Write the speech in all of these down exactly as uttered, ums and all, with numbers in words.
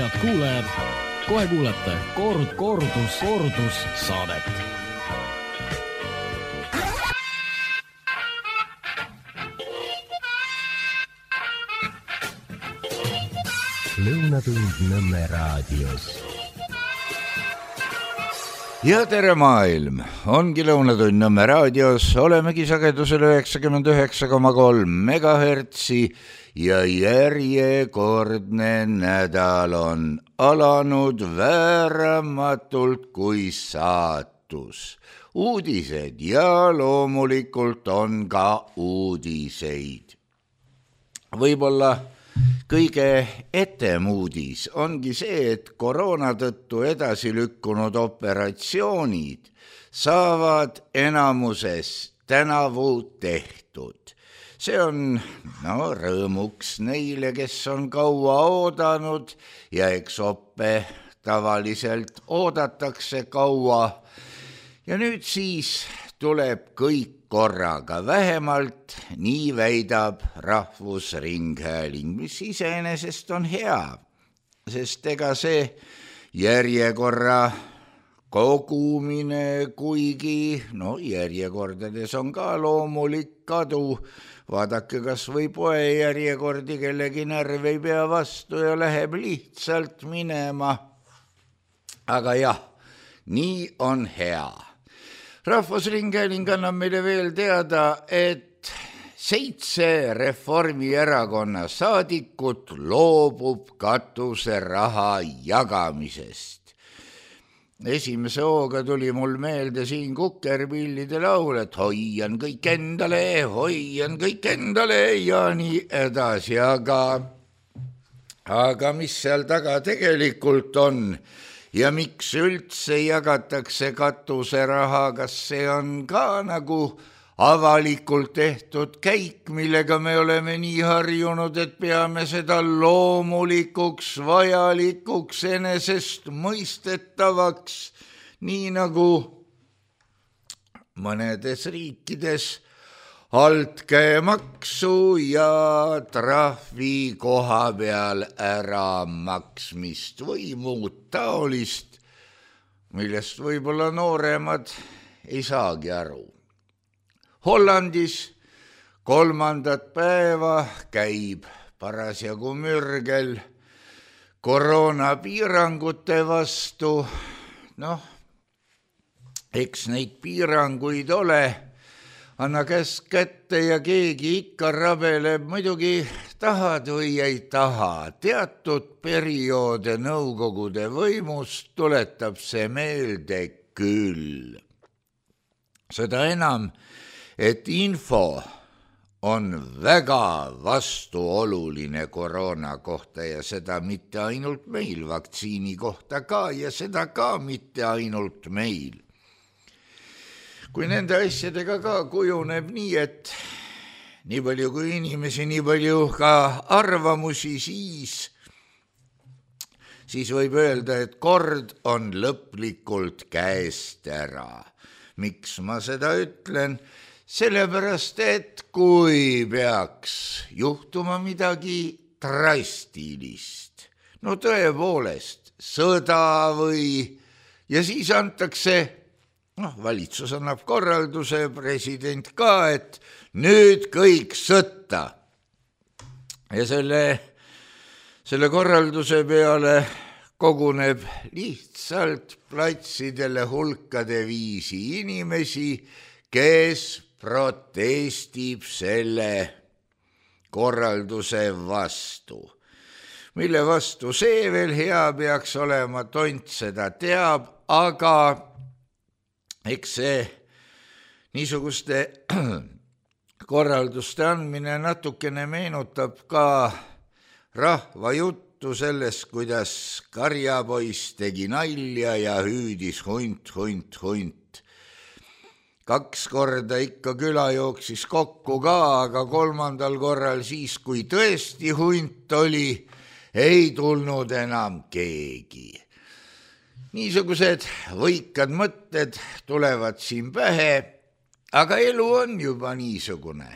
Head kuulajad, kohe kuulete kord, kordus, kordus saadet. Lõunatund Nõmme raadios. Ja tere maailm, ongi Lõunatund Nõmme raadios, olemegi sagedusel üheksakümmend üheksa koma kolm megahertsi ja järjekordne nädal on alanud vääramatult kui saatus. Uudised ja loomulikult on ka uudiseid. Võib-olla kõige etem uudis ongi see, et koroona tõttu edasi lükkunud operatsioonid saavad enamuses tänavu tehtud. See on no, rõõmuks neile, kes on kaua oodanud ja eks oppe tavaliselt oodatakse kaua. Ja nüüd siis tuleb kõik korraga, vähemalt nii väidab Rahvusringhääling, mis iseenesest on hea, sest ega see järjekorra kogumine, kuigi no järjekordades on ka loomulik kadu, vaadake kas või poe järjekordi, kellegi närv ei pea vastu ja läheb lihtsalt minema. Aga jah, nii on hea. Rahvusringhääling annab meile veel teada, et seitse Reformierakonna saadikut loobub katuseraha jagamisest. Esimese hooga tuli mul meelde siin Kukerpillide laul, et hoian kõik endale, hoian kõik endale ja nii edasi, aga, aga mis seal taga tegelikult on? Ja miks üldse jagatakse katuseraha, kas see on ka nagu avalikult tehtud käik, millega me oleme nii harjunud, et peame seda loomulikuks, vajalikuks, enesest mõistetavaks, nii nagu mõnedes riikides altkäemaksu ja trahvi koha peal ära maksmist või muud taolist, millest võib-olla nooremad ei saagi aru. Hollandis kolmandat päeva käib parasjagu mürgel koroonapiirangute vastu. Noh, eks neid piiranguid ole, anna käsk kätte ja keegi ikka rabeleb, muidugi tahad või ei taha. Teatud perioode nõukogude võimust tuletab see meelde küll. Seda enam, et info on väga vastuoluline koroona kohta ja seda mitte ainult meil, vaktsiini kohta ka ja seda ka mitte ainult meil. Kui nende asjadega ka kujuneb nii, et nii palju kui inimesi, nii palju ka arvamusi, siis, siis võib öelda, et kord on lõplikult käest ära. Miks ma seda ütlen? Sellepärast, et kui peaks juhtuma midagi drastilist, no tõepoolest sõda või, ja siis antakse noh, valitsus annab korralduse, president ka, et nüüd kõik sõtta. Ja selle, selle korralduse peale koguneb lihtsalt platsidele hulkade viisi inimesi, kes protestib selle korralduse vastu. Mille vastu see veel hea peaks olema, tont seda teab, aga eks see niisuguste korralduste andmine natukene meenutab ka rahva juttu sellest, kuidas karjapoiss tegi nalja ja hüüdis hunt, hunt, hunt. Kaks korda ikka küla jooksis kokku ka, aga kolmandal korral siis, kui tõesti hunt oli, ei tulnud enam keegi. Niisugused võikad mõtted tulevad siin pähe, aga elu on juba niisugune.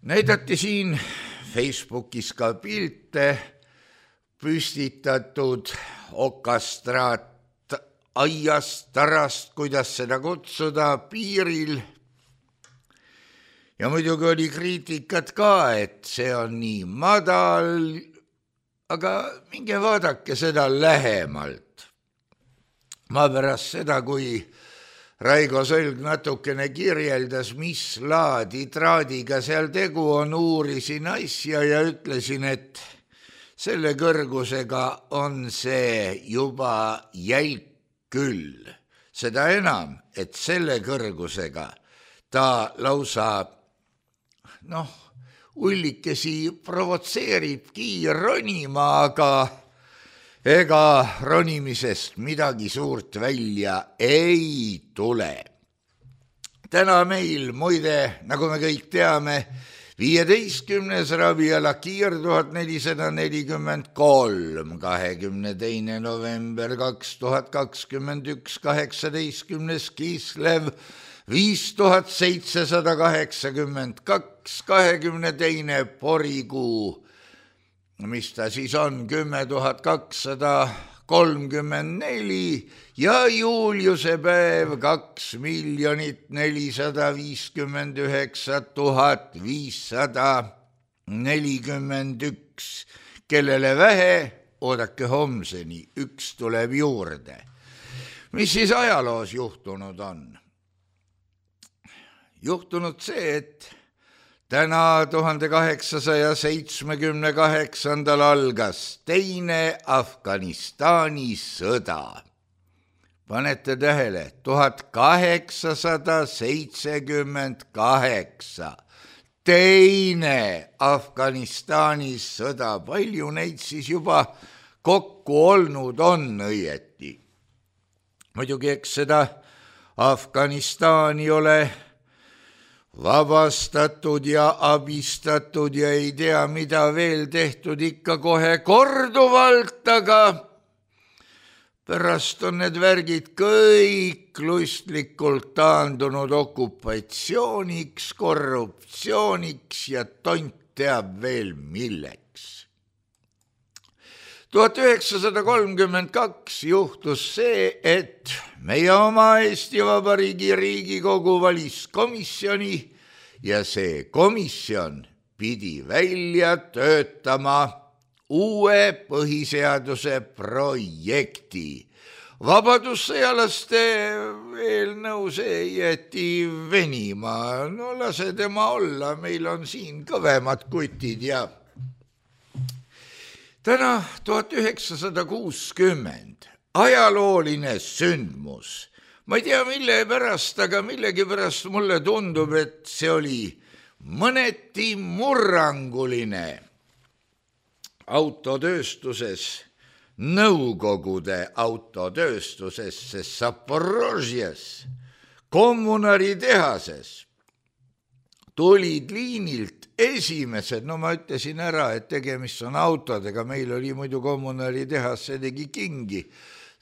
Näidati siin Facebookis ka pilte püstitatud okastraat aiast, tarast, kuidas seda kutsuda, piiril. Ja muidugi oli kriitikat ka, et see on nii madal, aga minge vaadake seda lähemalt. Ma pärast seda, kui Raigo Sõlg natukene kirjeldas, mis laadi traadiga seal tegu on, uurisin asja ja ütlesin, et selle kõrgusega on see juba jälk küll. Seda enam, et selle kõrgusega ta lausa, noh, ullikesi provotseeribki ronima, aga ega ronimisest midagi suurt välja ei tule. Täna meil, muide, nagu me kõik teame, viieteistkümnes Rabiala kiir tuhat nelisada nelikümmend kolm, kahekümne teine november kaks tuhat kakskümmend üks, kaheksateistkümnes Kislev, viis tuhat seitsesada kaheksakümmend kaks, kahekümne teine Porikuu, mis ta siis on, kümme tuhat kakssada kolmkümmend neli ja Juliuse päev kaks miljonit nelisada viiskümmend üheksa tuhat viissada nelikümmend üks, kellele vähe, oodake homseni, üks tuleb juurde. Mis siis ajaloos juhtunud on? Juhtunud see, et täna tuhande kaheksasaja seitsmekümne kaheksandal algas teine Afganistani sõda. Panete tähele, tuhat kaheksasada seitsekümmend kaheksa. Teine Afganistani sõda. Palju neid siis juba kokku olnud on õieti. Muidugi eks seda Afganistani ole vabastatud ja abistatud ja ei tea, mida veel tehtud ikka kohe korduvalt, aga pärast on need värgid kõik lustlikult taandunud okupatsiooniks, korruptsiooniks ja tont teab veel milleks. tuhat üheksasada kolmkümmend kaks juhtus see, et meie oma Eesti Vabariigi Riigikogu valis komisjoni ja see komisjon pidi välja töötama uue põhiseaduse projekti. Vabadussõjalaste eelnõu see jäeti venima. No lase tema olla, meil on siin kõvemad kutid ja täna tuhat üheksasada kuuskümmend, ajalooline sündmus. Ma ei tea, mille pärast, aga millegi pärast mulle tundub, et see oli mõneti murranguline autotööstuses, Nõukogude autotööstuses, sest Zaporožjes, kommunaritehases tulid liinilt esimesed, no ma ütlesin ära, et tegemist on autodega, meil oli muidu kommunaritehas, see tegi kingi,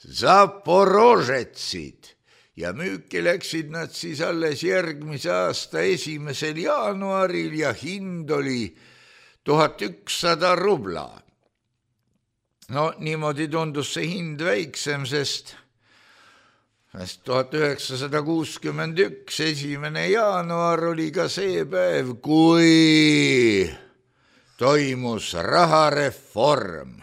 Zaporožetsid ja müüki läksid nad siis alles järgmise aasta esimesel jaanuaril ja hind oli tuhat ükssada rubla. No niimoodi tundus see hind väiksem, sest tuhat üheksasada kuuskümmend üks, esimene jaanuar oli ka see päev, kui toimus rahareform.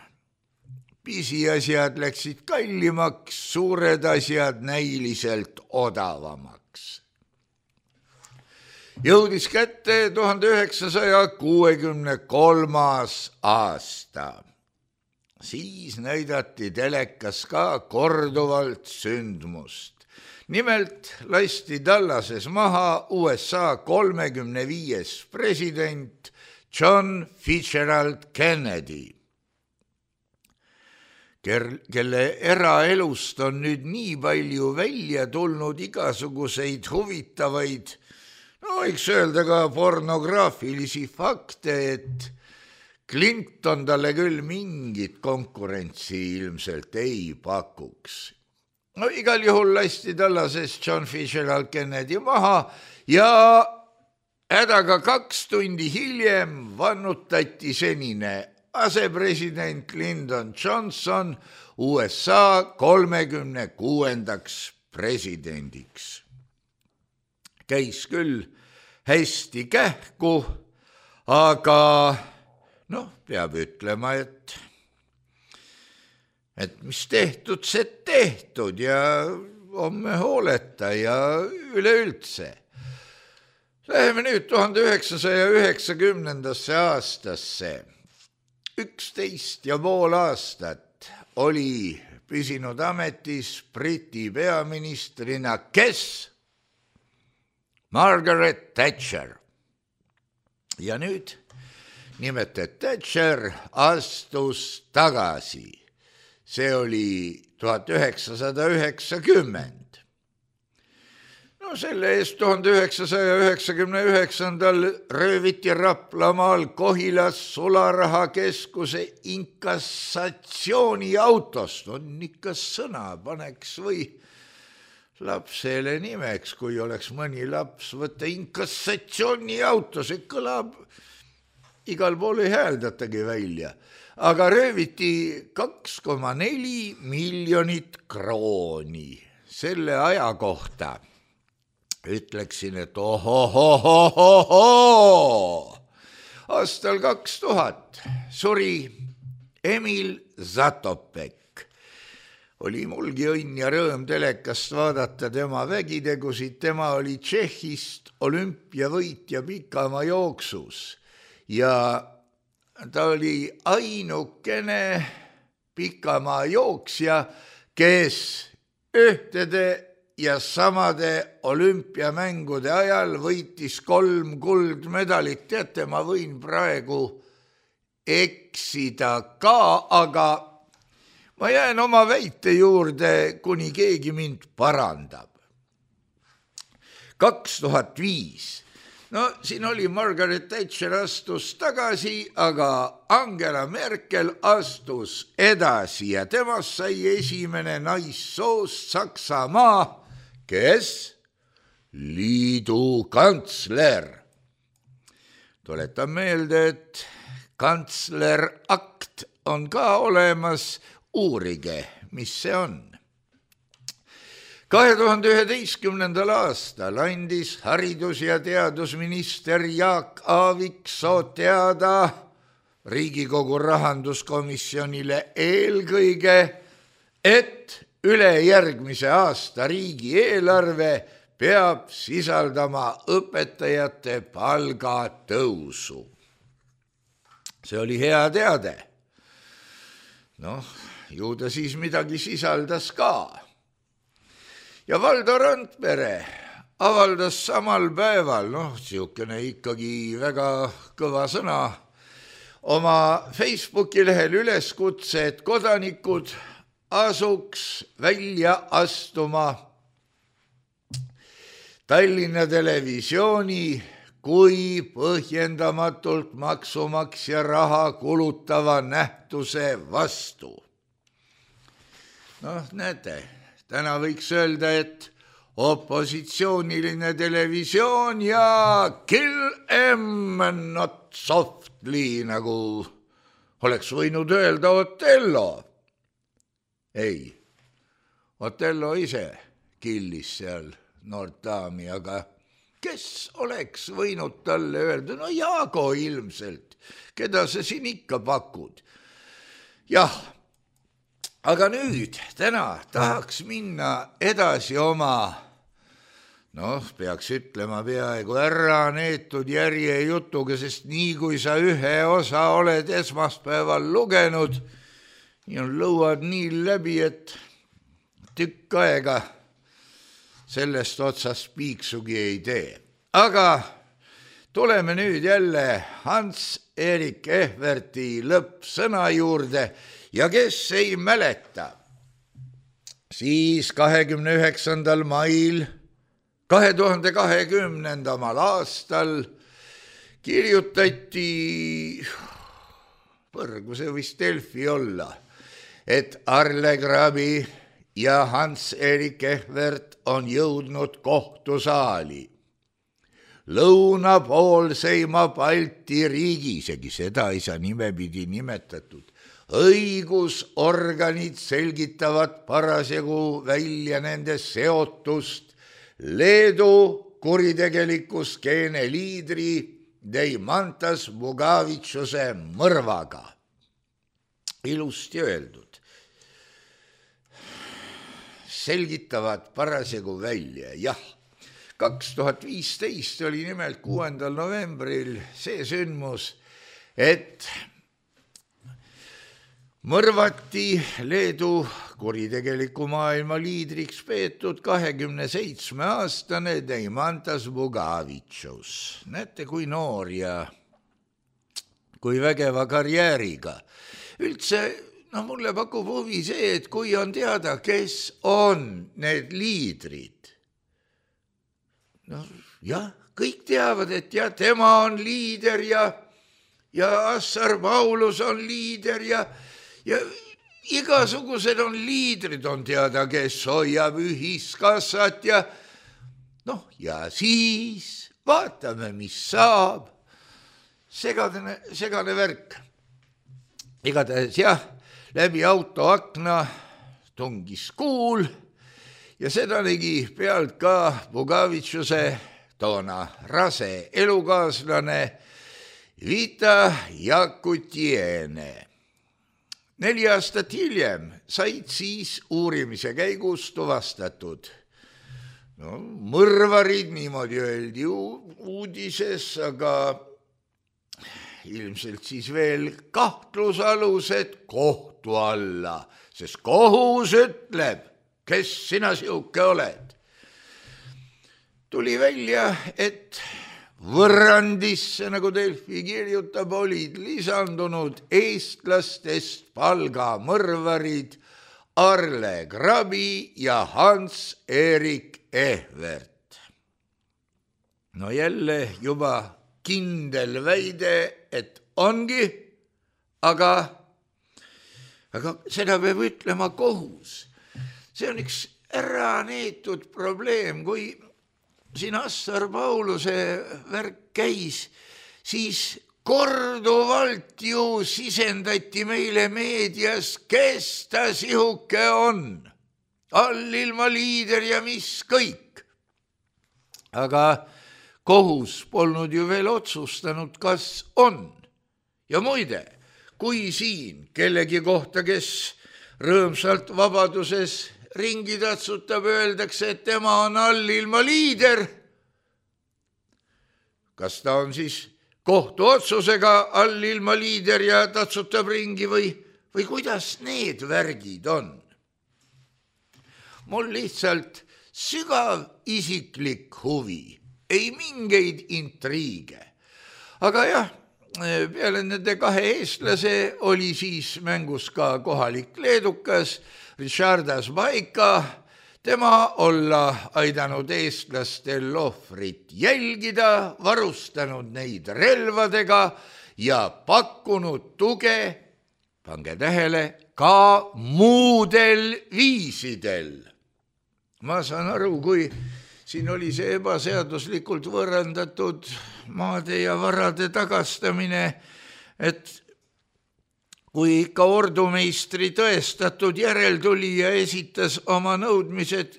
Pisiasjad läksid kallimaks, suured asjad näiliselt odavamaks. Jõudis kätte tuhande üheksasaja kuuekümne kolmas aasta. Siis näidati telekas ka korduvalt sündmust. Nimelt lasti Dallases maha U S A kolmekümne viies president John Fitzgerald Kennedy, kelle eraelust on nüüd nii palju välja tulnud igasuguseid huvitavaid, no võiks öelda ka pornograafilisi fakte, et Clinton talle küll mingit konkurentsi ilmselt ei pakuks. No igal juhul lasti Dallases John Fitzgerald Kennedy maha ja hädaga kaks tundi hiljem vannutati senine asepresident Lyndon Johnson U S A kolmekümne kuuendaks presidendiks. Käis küll hästi kähku, aga noh, peab ütlema, et, et mis tehtud, see tehtud ja homme hooleta ja üleüldse. Läheme nüüd tuhande üheksasaja üheksakümnendasse aastasse. üksteist ja pool aastat oli püsinud ametis Briti peaministrina, kes? Margaret Thatcher. Ja nüüd nimelt, et Thatcher astus tagasi. See oli tuhat üheksasada üheksakümmend. No selle eest tuhande üheksasaja üheksakümne üheksandal rööviti Raplamaal Kohilas Sularahakeskuse inkassatsiooniautost. On ikka sõna, paneks või lapsele nimeks, kui oleks mõni laps, võtta inkassatsiooniauto, see kõlab, igal pool ei hääldatagi välja. Aga rööviti kaks koma neli miljonit krooni. Selle aja kohta ütleksin, et ohohohohoho. Aastal kaks tuhat suri Emil Zatopek. Oli mulgi õnn ja rõõm telekast vaadata tema vägitegusid. Tema oli Tšehhist olümpiavõitja pikamaa jooksus ja ta oli ainukene pikamaa jooksja, kes ühtede ja samade olümpiamängude ajal võitis kolm kuldmedalit. Teate, ma võin praegu eksida ka, aga ma jään oma väite juurde, kuni keegi mind parandab. kaks tuhat viis. No siin oli Margaret Thatcher astus tagasi, aga Angela Merkel astus edasi ja temast sai esimene naissoost Saksamaa, kes? Liidu kantsler. Tuletan meelde, et kantslerakt on ka olemas. Uurige, mis see on. kahe tuhande üheteistkümnendal aastal andis haridus- ja teadusminister Jaak Aaviksoo teada Riigikogu rahanduskomisjonile eelkõige, et ülejärgmise aasta riigieelarve peab sisaldama õpetajate palgatõusu. See oli hea teade. Noh, ju ta siis midagi sisaldas ka. Ja Valdo Randpere avaldas samal päeval, noh, siukene ikkagi väga kõva sõna, oma Facebooki lehel üleskutse, et kodanikud asuks välja astuma Tallinna Televisiooni kui põhjendamatult maksumaksja raha kulutava nähtuse vastu. Noh, näete, täna võiks öelda, et opositsiooniline televisioon ja kill em not softly, nagu oleks võinud öelda Otello. Ei, Otello ise killis seal noort daami, aga kes oleks võinud talle öelda? No Jaago ilmselt, keda sa siin ikka pakud. Jah, aga nüüd, täna tahaks minna edasi oma, noh, peaks ütlema peaaegu ära neetud järjejutuga, sest nii kui sa ühe osa oled esmaspäeval lugenud, nii on lõuad nii läbi, et tükk aega sellest otsast piiksugi ei tee. Aga tuleme nüüd jälle Hans-Erik Ehverti lõppsõna juurde ja kes ei mäleta, siis kahekümne üheksandal mail kahe tuhande kahekümnendamal aastal kirjutati, põrgu see võis Delfi olla, et Arle Grabi ja Hans-Erik Ehvert on jõudnud kohtusaali. lõunapoolseima Balti riigi, isegi seda ei saa nimepidi nimetatud, õigusorganid selgitavad parasjagu välja nende seotust Leedu kuritegeliku skeene liidri Deimantas Bugavitšuse mõrvaga. Ilusti öeldud. Selgitavad parasjagu välja, jah. kaks tuhat viisteist oli nimelt kuuendal novembril see sündmus, et mõrvati Leedu kuritegeliku maailma liidriks peetud kahekümne seitsme aastane Deimantas Bugavitšus. Näete, kui noor ja kui vägeva karjääriga. Üldse, no mulle pakub huvi see, et kui on teada, kes on need liidrid. No jah, kõik teavad, et ja tema on liider ja, ja Assar Paulus on liider ja, ja igasugused on liidrid, on teada, kes hoiab ühiskassat ja noh, ja siis vaatame, mis saab. Segane, segane värk. Igatahes jah, läbi autoakna tungis kuul ja seda nägi pealt ka Bugavitšuse toona rase elukaaslane Vita Jakutiene. Neli aastat hiljem said siis uurimise käigus tuvastatud. No, mõrvarid, niimoodi öeldi uudises, aga ilmselt siis veel kahtlusalused kohtu alla, sest kohus ütleb, kes sina siuke oled. Tuli välja, et võrrandisse, nagu Delfi kirjutab, olid lisandunud eestlastest palgamõrvarid Arle Grabi ja Hans-Erik Ehvert. No jälle juba kindel väide, et ongi, aga, aga seda peab ütlema kohus. See on üks ära neetud probleem, kui siin Assar Pauluse värk käis, siis korduvalt ju sisendati meile meedias, kes ta sihuke on. Allilma liider ja mis kõik. Aga kohus polnud ju veel otsustanud, kas on. Ja muide, kui siin kellegi kohta, kes rõõmsalt vabaduses ringi tatsutab, öeldakse, et tema on allilma liider. Kas ta on siis kohtuotsusega allilma liider ja tatsutab ringi või, või kuidas need värgid on? Mul lihtsalt sügav isiklik huvi, ei mingeid intriige. Aga jah, peale nende kahe eestlase oli siis mängus ka kohalik leedukas, Richardas Baika, tema olla aidanud eestlastel ohvrit jälgida, varustanud neid relvadega ja pakkunud tuge, pange tähele, ka muudel viisidel. Ma saan aru, kui siin oli see ebaseaduslikult võõrandatud maade ja varade tagastamine, et kui ikka ordumeistri tõestatud järeltulija esitas oma nõudmised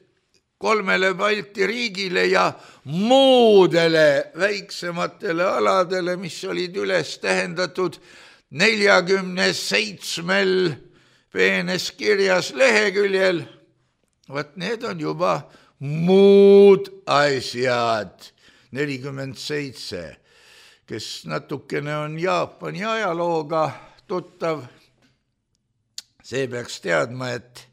kolmele Balti riigile ja muudele väiksematele aladele, mis olid üles tähendatud neljakümne seitsmel peenes kirjas leheküljel, vaat need on juba muud asjad, nelikümmend seitse, kes natukene on Jaapani ajalooga tuttav, see peaks teadma, et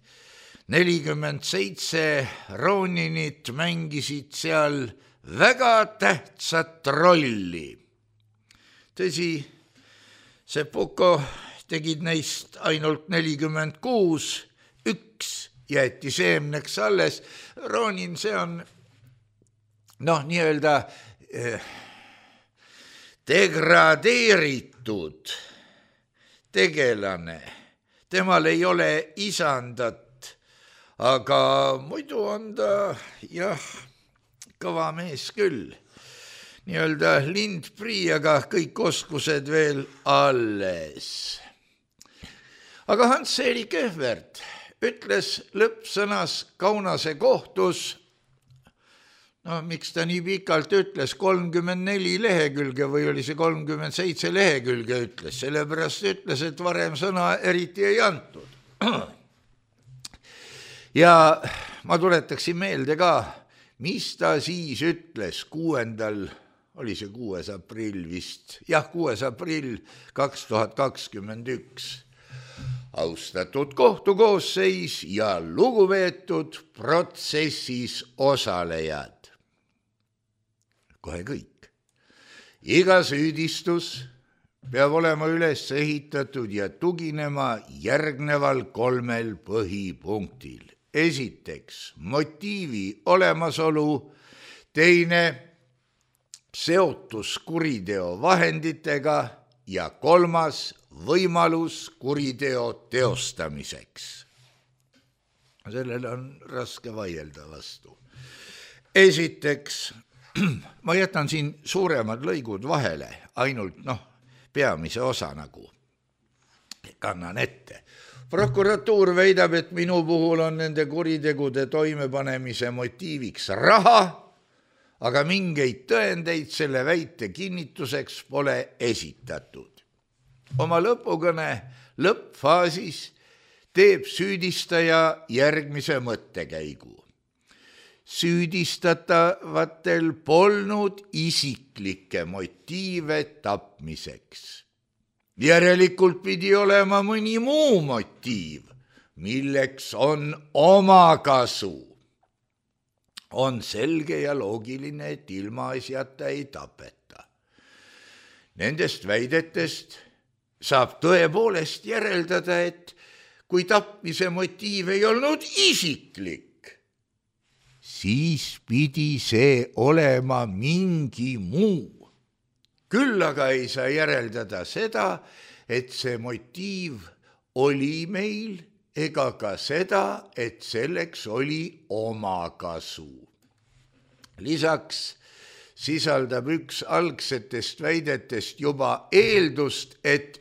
nelikümmend seitse Roninit mängisid seal väga tähtsat rolli. Tõsi, Seppuko tegid neist ainult nelikümmend kuus, üks jäeti seemneks alles. Ronin, see on noh, nii-öelda eh, degradeeritud tegelane, temal ei ole isandat, aga muidu on ta jah, kõva mees küll. nii-öelda lindprii, aga kõik oskused veel alles. Aga Hans-Erik Ehvert ütles lõppsõnas Kaunase kohtus, no miks ta nii pikalt ütles, kolmkümmend neli lehekülge või oli see kolmkümmend seitse lehekülge ütles, sellepärast ütles, et varem sõna eriti ei antud. Ja ma tuletaksin meelde ka, mis ta siis ütles kuuendal, oli see kuues aprill vist, jah, kuues aprill kaks tuhat kakskümmend üks. Austatud kohtukoosseis ja lugupeetud protsessis osalejad. Kohe kõik. Iga süüdistus peab olema üles ehitatud ja tuginema järgneval kolmel põhipunktil. Esiteks, motiivi olemasolu, teine, seotus kuriteo vahenditega ja kolmas, võimalus kuriteo teostamiseks. Sellele on raske vaielda vastu. Esiteks, ma jätan siin suuremad lõigud vahele, ainult noh, peamise osa nagu kannan ette. Prokuratuur väidab, et minu puhul on nende kuritegude toimepanemise motiiviks raha, aga mingeid tõendeid selle väite kinnituseks pole esitatud. Oma lõpukõne lõppfaasis teeb süüdistaja järgmise mõttekäigu. Süüdistatavatel polnud isiklikke motiive tapmiseks. Järelikult pidi olema mõni muu motiiv, milleks on omakasu. On selge ja loogiline, et ilma asjata ei tapeta. Nendest väidetest saab tõepoolest järeldada, et kui tapmise motiiv ei olnud isiklik, siis pidi see olema mingi muu. Küll aga ei saa järeldada seda, et see motiiv oli meil, ega ka seda, et selleks oli omakasu. Lisaks sisaldab üks algsetest väidetest juba eeldust, et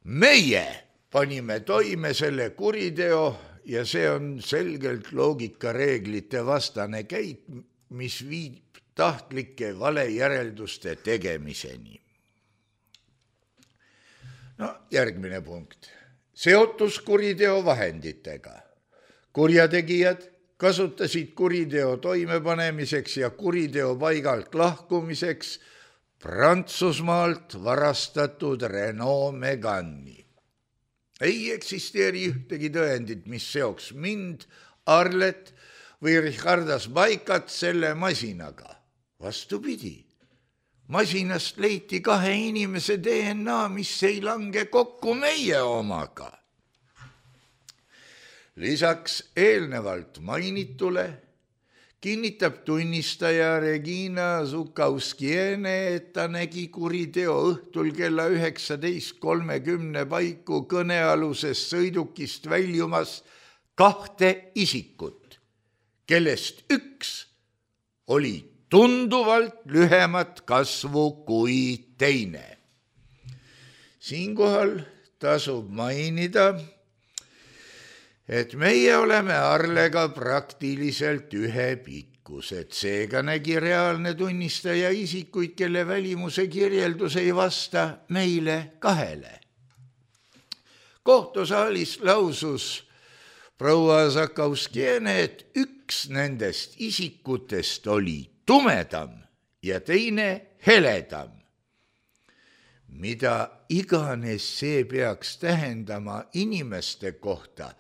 meie panime toime selle kuriteo ja see on selgelt loogikareeglite vastane käik, mis viib tahtlike valejärelduste tegemiseni. No järgmine punkt. Seotus kuriteo vahenditega. Kurjategijad kasutasid kuriteo toimepanemiseks ja kuriteo paigalt lahkumiseks Prantsusmaalt varastatud Renault Megani. Ei eksisteeri ühtegi tõendit, mis seoks mind, Arlet või Richardas Baikat selle masinaga. Vastupidi, masinast leiti kahe inimese D N A, mis ei lange kokku meie omaga. Lisaks eelnevalt mainitule kinnitab tunnistaja Regina Zukauskiene, et ta nägi kuriteo õhtul kella üheksateist kolmekümne paiku kõnealusest sõidukist väljumas kahte isikut, kellest üks oli tunduvalt lühemat kasvu kui teine. Siinkohal tasub mainida, et meie oleme Arlega praktiliselt ühe pikkused, seega nägi reaalne tunnistaja isikuid, kelle välimuse kirjeldus ei vasta meile kahele. Kohtusaalis lausus proua Zakauskiene, et üks nendest isikutest oli tumedam ja teine heledam. Mida iganes see peaks tähendama inimeste kohta,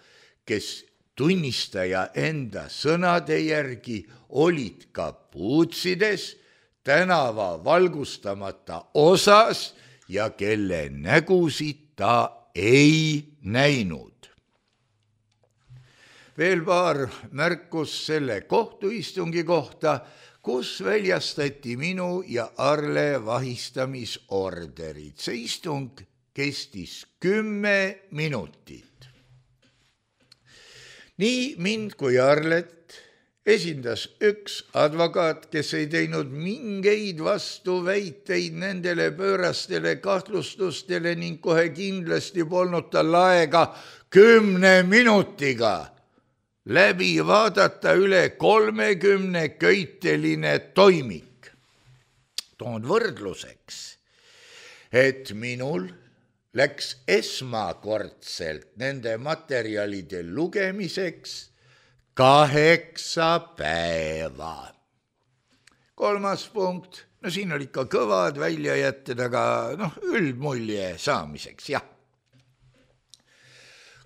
kes tunnistaja enda sõnade järgi olid kapuutsides, tänava valgustamata osas ja kelle nägusid ta ei näinud. Veel paar märkus selle kohtuistungi kohta, kus väljastati minu ja Arle vahistamisorderid. See istung kestis kümme minutit. Nii mind kui Arlet esindas üks advokaat, kes ei teinud mingeid vastuväiteid nendele pöörastele kahtlustustele ning kohe kindlasti polnud tal aega kümne minutiga läbi vaadata üle kolmekümne köiteline toimik. Toon võrdluseks, et minul läks esmakordselt nende materjalide lugemiseks kaheksa päeva. Kolmas punkt, no siin oli ikka kõvad väljajätted, aga noh, üldmulje saamiseks, jah.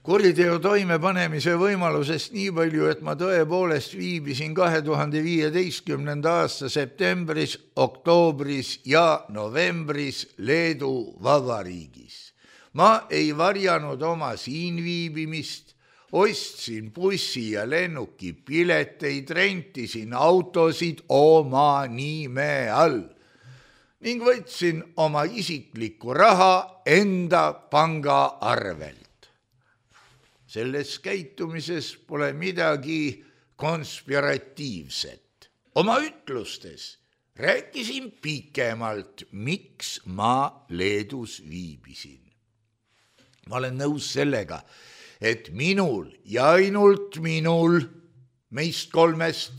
Kuriteo toimepanemise võimalusest nii palju, et ma tõepoolest viibisin kahe tuhande viieteistkümnenda aasta septembris, oktoobris ja novembris Leedu Vabariigis. Ma ei varjanud oma siin viibimist, ostsin bussi ja lennuki pileteid, rentisin autosid oma nime all ning võtsin oma isiklikku raha enda panga arvelt. Selles käitumises pole midagi konspiratiivset. Oma ütlustes rääkisin pikemalt, miks ma Leedus viibisin. Ma olen nõus sellega, et minul ja ainult minul, meist kolmest,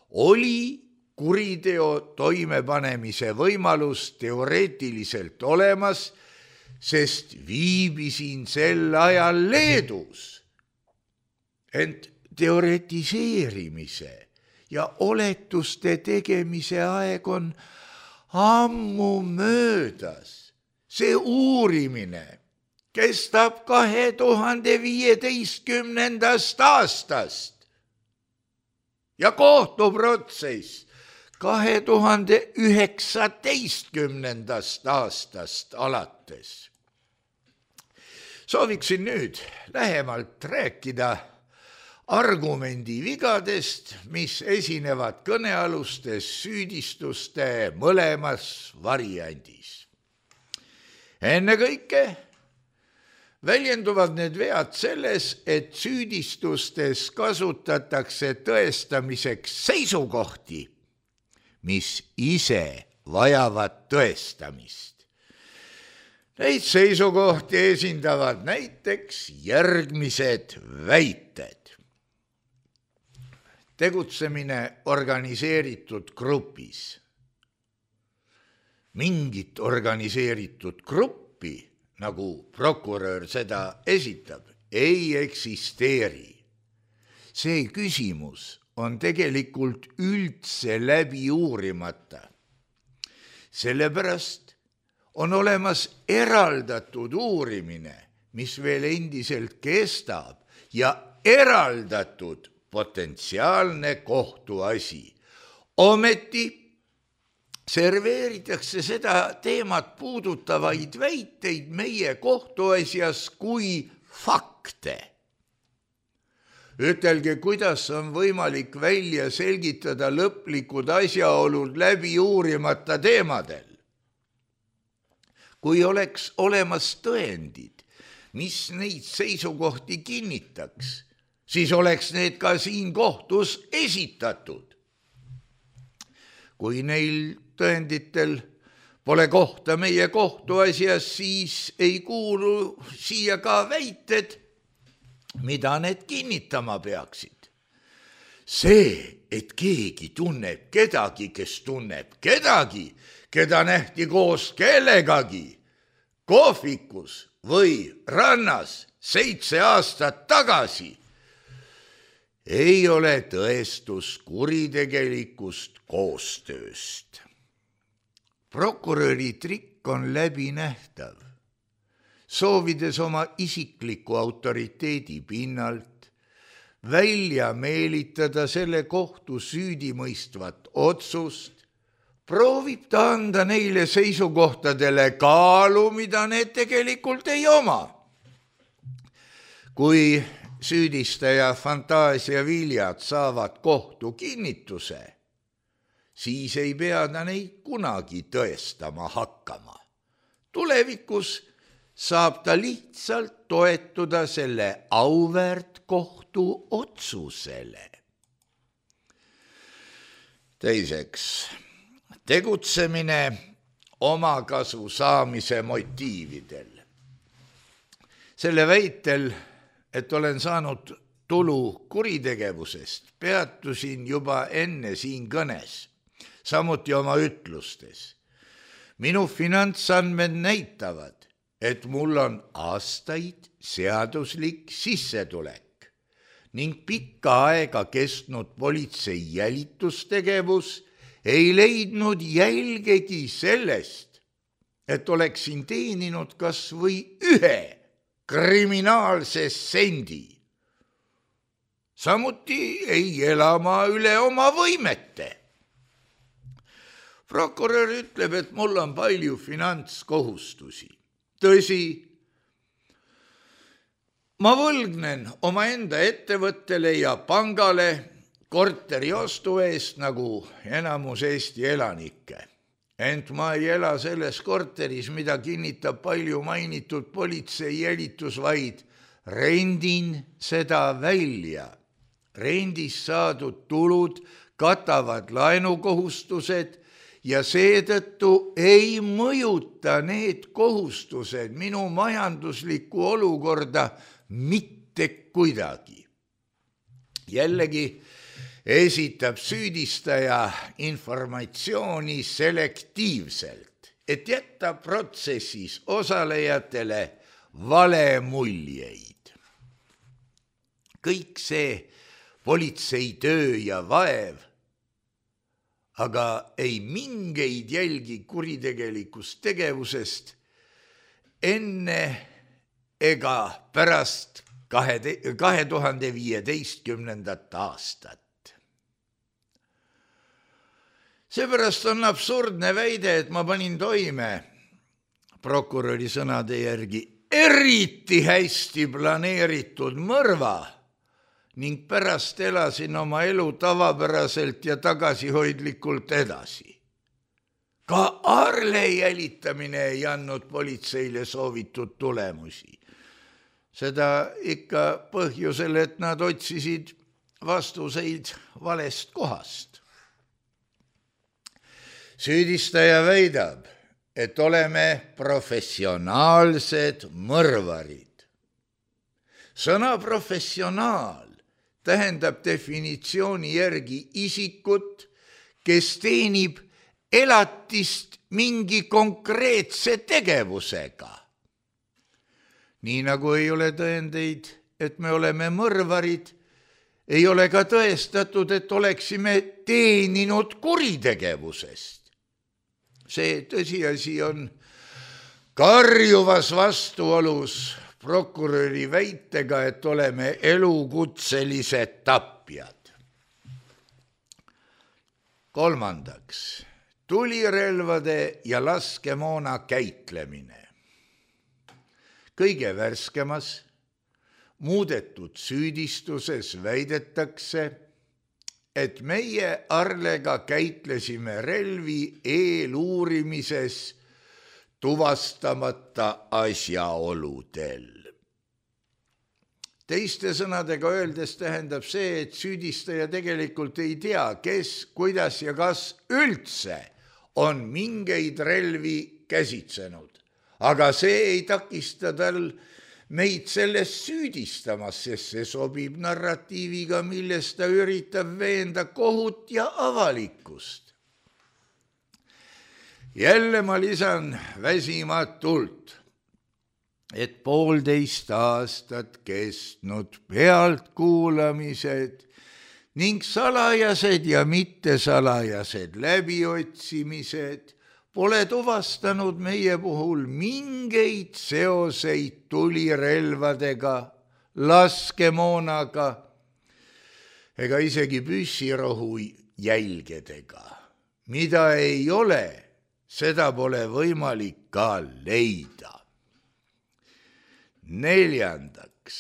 oli kuriteo toimepanemise võimalus teoreetiliselt olemas, sest viibisin sel ajal Leedus. Ent teoretiseerimise ja oletuste tegemise aeg on ammu möödas. See uurimine kestab kahe tuhande viieteistkümnendast aastast ja kohtuprotsess kahe tuhande üheksateistkümnendast aastast alates. Sooviksin nüüd lähemalt rääkida argumendi vigadest, mis esinevad kõnealustes süüdistuste mõlemas variandis. Enne kõike väljenduvad need vead selles, et süüdistustes kasutatakse tõestamiseks seisukohti, mis ise vajavad tõestamist. Neid seisukohti esindavad näiteks järgmised väited. Tegutsemine organiseeritud grupis. Mingit organiseeritud gruppi, nagu prokurör seda esitab, ei eksisteeri. See küsimus on tegelikult üldse läbi uurimata. Sellepärast on olemas eraldatud uurimine, mis veel endiselt kestab, ja eraldatud potentsiaalne kohtuasi. Ometi serveeritakse seda teemat puudutavaid väiteid meie kohtuasjas kui fakte. Ütelge, kuidas on võimalik välja selgitada lõplikud asjaolud läbi uurimata teemadel. Kui oleks olemas tõendid, mis neid seisukohti kinnitaks, siis oleks need ka siin kohtus esitatud. Kui neil tõenditel pole kohta meie kohtuasjas, siis ei kuulu siia ka väited, mida need kinnitama peaksid. See, et keegi tunneb kedagi, kes tunneb kedagi, keda nähti koos kellegagi, kohvikus või rannas seitse aastat tagasi, ei ole tõestus kuritegelikust koostööst. Prokuröri trikk on läbinähtav. Soovides oma isikliku autoriteedi pinnalt välja meelitada selle kohtu süüdimõistvat otsust, proovib ta anda neile seisukohtadele kaalu, mida need tegelikult ei oma. Kui süüdistaja fantaasia viljad saavad kohtu kinnituse, siis ei pea ta neid kunagi tõestama hakkama. Tulevikus saab ta lihtsalt toetuda selle auväärt kohtu otsusele. teiseks, tegutsemine omakasu saamise motiividel. Selle väitel, et olen saanud tulu kuritegevusest, peatusin juba enne siin kõnes, samuti oma ütlustes. Minu finantsandmed näitavad, et mul on aastaid seaduslik sissetulek ning pikka aega kestnud politsei jälitustegevus ei leidnud jälgegi sellest, et oleksin teeninud kas või ühe kriminaalse sendi. Samuti ei ela ma üle oma võimete. Prokurör ütleb, et mul on palju finantskohustusi. Tõsi, ma võlgnen omaenda ettevõttele ja pangale korteri ostu eest nagu enamus Eesti elanikke. Ent ma ei ela selles korteris, mida kinnitab palju mainitud politsei jälitus, vaid rendin seda välja. Rendist saadud tulud katavad laenukohustused ja seetõttu ei mõjuta need kohustused minu majanduslikku olukorda mitte kuidagi. Jällegi esitab süüdistaja informatsiooni selektiivselt, et jätta protsessis osalejatele valemuljeid. Kõik see politsei töö ja vaev, aga ei mingeid jälgi kuritegelikust tegevusest enne ega pärast kahe tuhande viieteistkümnendat aastat. Seepärast on absurdne väide, et ma panin toime prokuröri sõnade järgi eriti hästi planeeritud mõrva ning pärast elasin oma elu tavapäraselt ja tagasihoidlikult edasi. Ka Arle jälitamine ei andnud politseile soovitud tulemusi. Seda ikka põhjusel, et nad otsisid vastuseid valest kohast. Süüdistaja väidab, et oleme professionaalsed mõrvarid. Sõna professionaal tähendab definitsiooni järgi isikut, kes teenib elatist mingi konkreetse tegevusega. Nii nagu ei ole tõendeid, et me oleme mõrvarid, ei ole ka tõestatud, et oleksime teeninud kuritegevusest. See tõsiasi on karjuvas vastuolus prokuröri väitega, et oleme elukutselised tapjad. Kolmandaks, tulirelvade ja laskemoona käitlemine. Kõige värskemas muudetud süüdistuses väidetakse, et meie Arlega käitlesime relvi eeluurimises tuvastamata asjaoludel. Teiste sõnadega öeldes tähendab see, et süüdistaja tegelikult ei tea, kes, kuidas ja kas üldse on mingeid relvi käsitsenud. Aga see ei takista tal meid sellest süüdistamas, sest see sobib narratiiviga, milles ta üritab veenda kohut ja avalikkust. Jälle ma lisan väsimatult, et poolteist aastat kestnud pealtkuulamised ning salajased ja mittesalajased läbiotsimised pole tuvastanud meie puhul mingeid seoseid tulirelvadega, laskemoonaga ega isegi püssirohu jälgedega. Mida ei ole, seda pole võimalik ka leida. Neljandaks,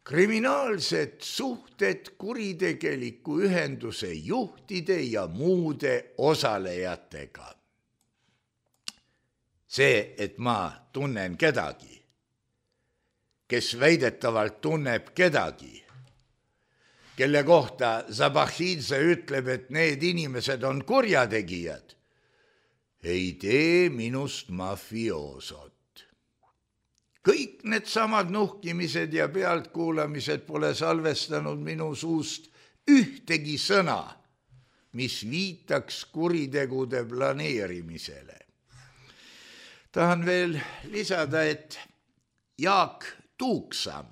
kriminaalsed suhted kuritegeliku ühenduse juhtide ja muude osalejatega. See, et ma tunnen kedagi, kes väidetavalt tunneb kedagi, kelle kohta Zabahidze ütleb, et need inimesed on kurjategijad, ei tee minust mafioosot. Kõik need samad nuhkimised ja pealtkuulamised pole salvestanud minu suust ühtegi sõna, mis viitaks kuritegude planeerimisele. Tahan veel lisada, et Jaak Tuuksam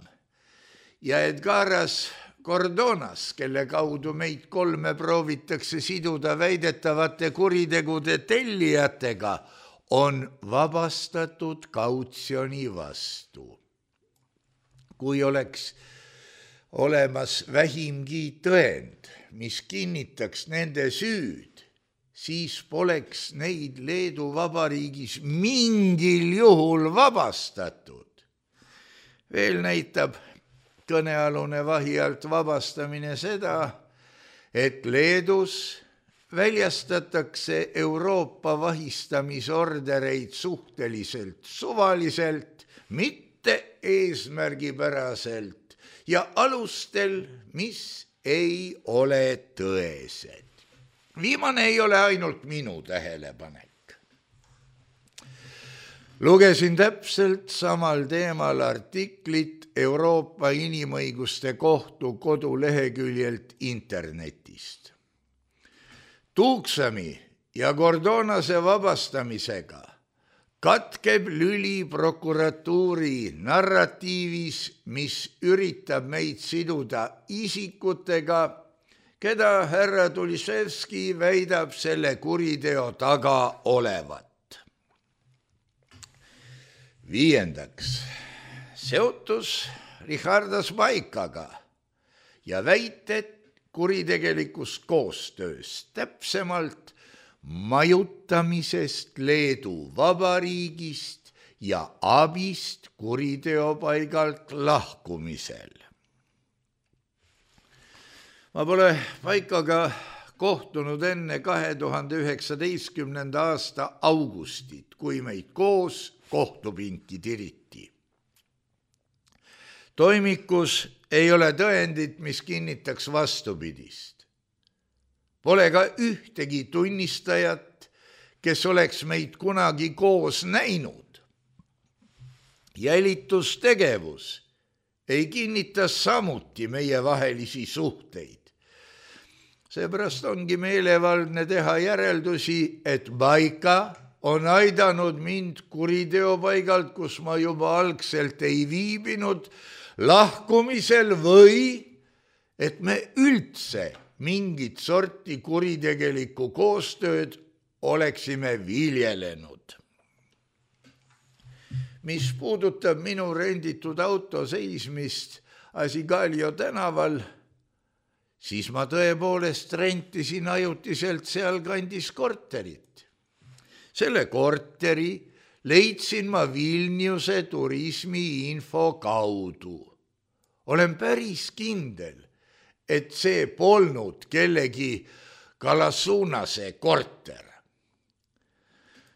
ja Edgaras Cordonas, kelle kaudu meid kolme proovitakse siduda väidetavate kuritegude tellijatega, on vabastatud kautsjoni vastu. Kui oleks olemas vähimgi tõend, mis kinnitaks nende süüd, siis poleks neid Leedu Vabariigis mingil juhul vabastatud. Veel näitab kõnealune vahi alt vabastamine seda, et Leedus väljastatakse Euroopa vahistamisordereid suhteliselt suvaliselt, mitte eesmärgipäraselt ja alustel, mis ei ole tõesed. Viimane ei ole ainult minu tähelepanek. Lugesin täpselt samal teemal artiklit Euroopa Inimõiguste Kohtu koduleheküljelt internetist. Tuuksami ja Cordonase vabastamisega katkeb lüli prokuratuuri narratiivis, mis üritab meid siduda isikutega, keda härra Tuliševski väidab selle kuriteo taga olevat. Viiendaks, seotus Richardas Baikaga ja väited kuritegelikust koostööst, täpsemalt majutamisest Leedu Vabariigist ja abist kuriteopaigalt lahkumisel. Ma pole Baikaga kohtunud enne kahe tuhande üheksateistkümnenda aasta augustit, kui meid koos kohtupinki tiriti. Toimikus ei ole tõendit, mis kinnitaks vastupidist. Pole ka ühtegi tunnistajat, kes oleks meid kunagi koos näinud. Jälitustegevus ei kinnita samuti meie vahelisi suhteid. Seepärast ongi meelevaldne teha järeldusi, et Baika on aidanud mind kuriteopaigalt, kus ma juba algselt ei viibinud, lahkumisel või et me üldse mingit sorti kuritegelikku koostööd oleksime viljelenud. Mis puudutab minu renditud auto seismist Asigalio tänaval, siis ma tõepoolest rentisin ajutiselt seal kandis korterit. Selle korteri leidsin ma Vilniuse turismiinfo kaudu. Olen päris kindel, et see polnud kellegi Kalasunase korter.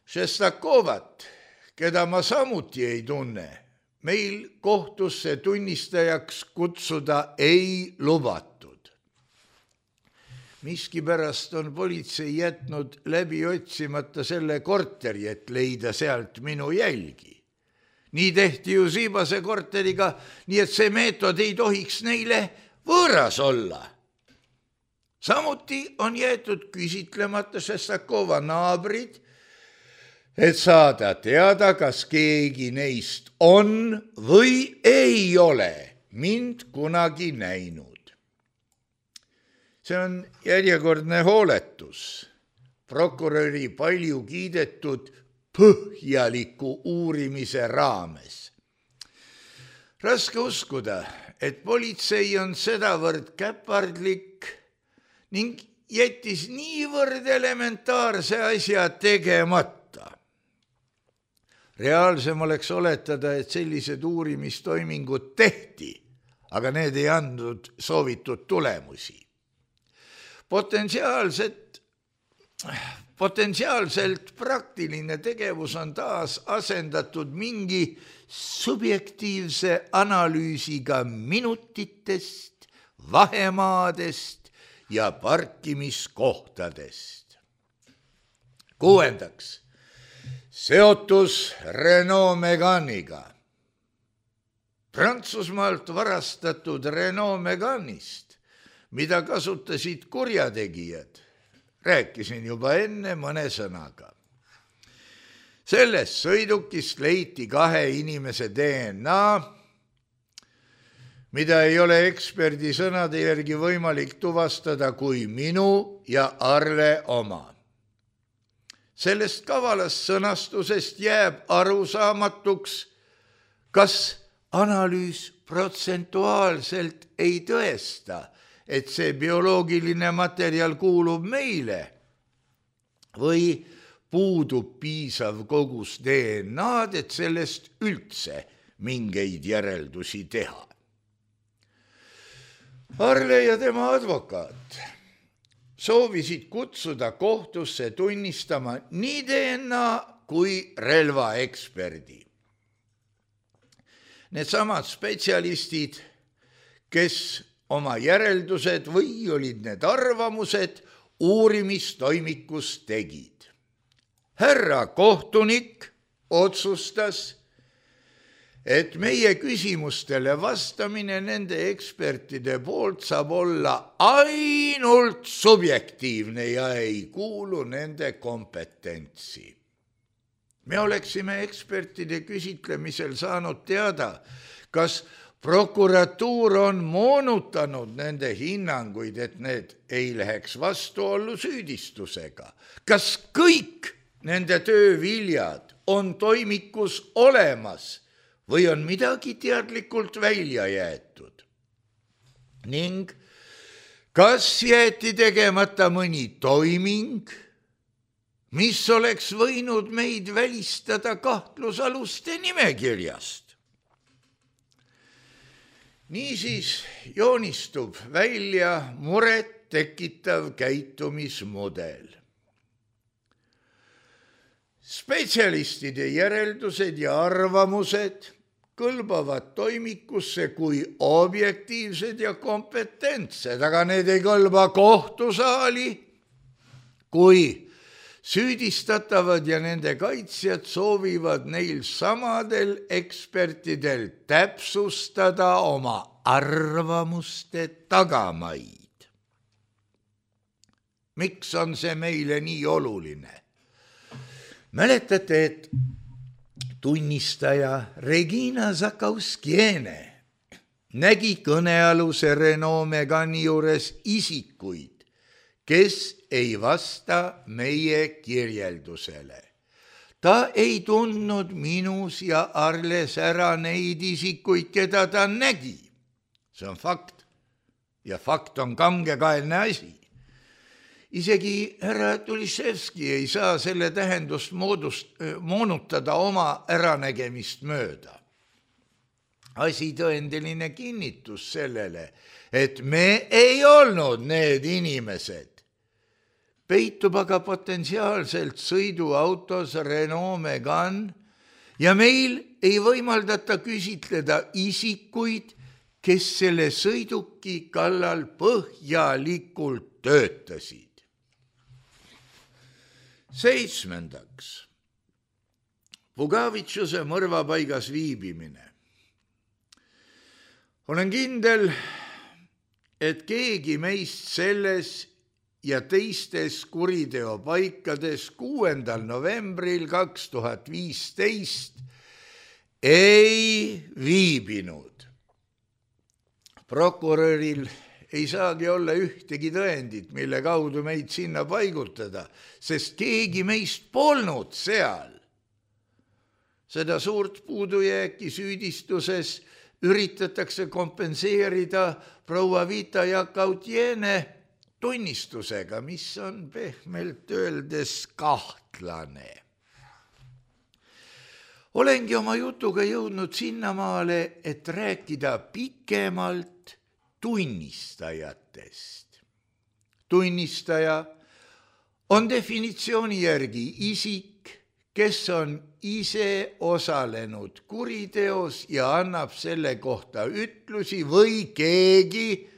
Šestakovat, keda ma samuti ei tunne, meil kohtusse tunnistajaks kutsuda ei lubatud. Miskipärast on politsei jätnud läbi otsimata selle korteri, et leida sealt minu jälgi. Nii tehti ju Siibase korteriga, nii et see meetod ei tohiks neile võõras olla. Samuti on jäetud küsitlemata Šestakova naabrid, et saada teada, kas keegi neist on või ei ole mind kunagi näinud. See on järjekordne hooletus prokuröri palju kiidetud põhjaliku uurimise raames. Raske uskuda, et politsei on sedavõrd käpardlik ning jättis niivõrd elementaarse asja tegemata. Reaalsem oleks oletada, et sellised uurimistoimingud tehti, aga need ei andnud soovitud tulemusi. Potentsiaalselt, potentsiaalselt praktiline tegevus on taas asendatud mingi subjektiivse analüüsiga minutitest vahemaadest ja parkimiskohtadest. Kuuendaks, seotus Renault Meganiga. Prantsusmaalt varastatud Renault Meganist, mida kasutasid kurjategijad, rääkisin juba enne mõne sõnaga. Sellest sõidukist leiti kahe inimese D N A, mida ei ole eksperdi sõnade järgi võimalik tuvastada kui minu ja Arle oma. Sellest kavalast sõnastusest jääb arusaamatuks, kas analüüs protsentuaalselt ei tõesta, et see bioloogiline materjal kuulub meile või puudub piisav kogus D N A-d, et sellest üldse mingeid järeldusi teha. Arle ja tema advokaat soovisid kutsuda kohtusse tunnistama nii D N A kui relvaeksperdi. Needsamad spetsialistid, kes oma järeldused või olid need arvamused uurimistoimikus tegid. Härra kohtunik otsustas, et meie küsimustele vastamine nende ekspertide poolt saab olla ainult subjektiivne ja ei kuulu nende kompetentsi. Me oleksime ekspertide küsitlemisel saanud teada, kas prokuratuur on moonutanud nende hinnanguid, et need ei läheks vastuollu süüdistusega. Kas kõik nende tööviljad on toimikus olemas või on midagi teadlikult välja jäetud? Ning kas jäeti tegemata mõni toiming, mis oleks võinud meid välistada kahtlusaluste nimekirjast? Niisiis joonistub välja muret tekitav käitumismudel. Spetsialistide järeldused ja arvamused kõlbavad toimikusse kui objektiivsed ja kompetentsed, aga need ei kõlba kohtusaali, kui süüdistatavad ja nende kaitsjad soovivad neil samadel ekspertidel täpsustada oma arvamuste tagamaid. Miks on see meile nii oluline? Mäletate, et tunnistaja Regina Zakauskiene nägi kõnealuse Renault Megani juures isikuid, kes ei vasta meie kirjeldusele. Ta ei tundnud minus ja Arles ära neid isikuid, keda ta nägi. See on fakt. Ja fakt on kangekaelne asi. Isegi härra Tuliševski ei saa selle tähendust moodust, moonutada oma äranägemist mööda. Asitõendeline kinnitus sellele, et me ei olnud need inimesed, peitub aga potentsiaalselt sõiduautos Renault Megan ja meil ei võimaldata küsitleda isikuid, kes selle sõiduki kallal põhjalikult töötasid. Seitsmendaks, Pugavitšuse mõrvapaigas viibimine. Olen kindel, et keegi meist selles ja teistes kuriteopaikades kuuendal novembril kaks tuhat viisteist ei viibinud. Prokuröril ei saagi olla ühtegi tõendit, mille kaudu meid sinna paigutada, sest keegi meist polnud seal. Seda suurt puudujääki süüdistuses üritatakse kompenseerida proua Vita Jakautiene tunnistusega, mis on pehmelt öeldes kahtlane. Olengi oma jutuga jõudnud sinnamaale, et rääkida pikemalt tunnistajatest. Tunnistaja on definitsiooni järgi isik, kes on ise osalenud kuriteos ja annab selle kohta ütlusi või keegi,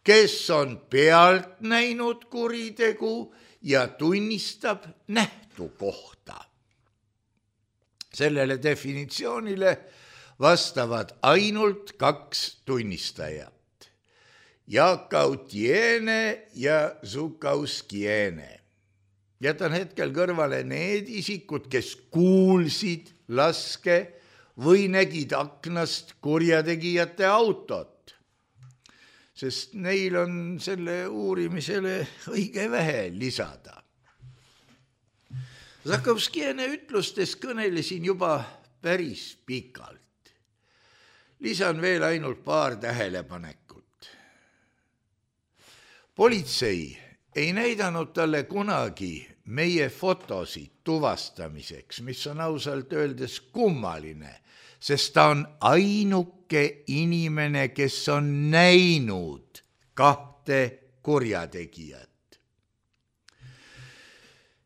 kes on pealt näinud kuritegu ja tunnistab nähtu kohta. Sellele definitsioonile vastavad ainult kaks tunnistajat, Jakautiene ja Zukauskiene. Jätan hetkel kõrvale need isikud, kes kuulsid laske või nägid aknast kurjategijate autot, sest neil on selle uurimisele õige vähe lisada. Zakowskiene ütlustes kõnelesin juba päris pikalt. Lisan veel ainult paar tähelepanekut. Politsei ei näidanud talle kunagi meie fotosid tuvastamiseks, mis on ausalt öeldes kummaline, sest ta on ainuke inimene, kes on näinud kahte kurjategijat.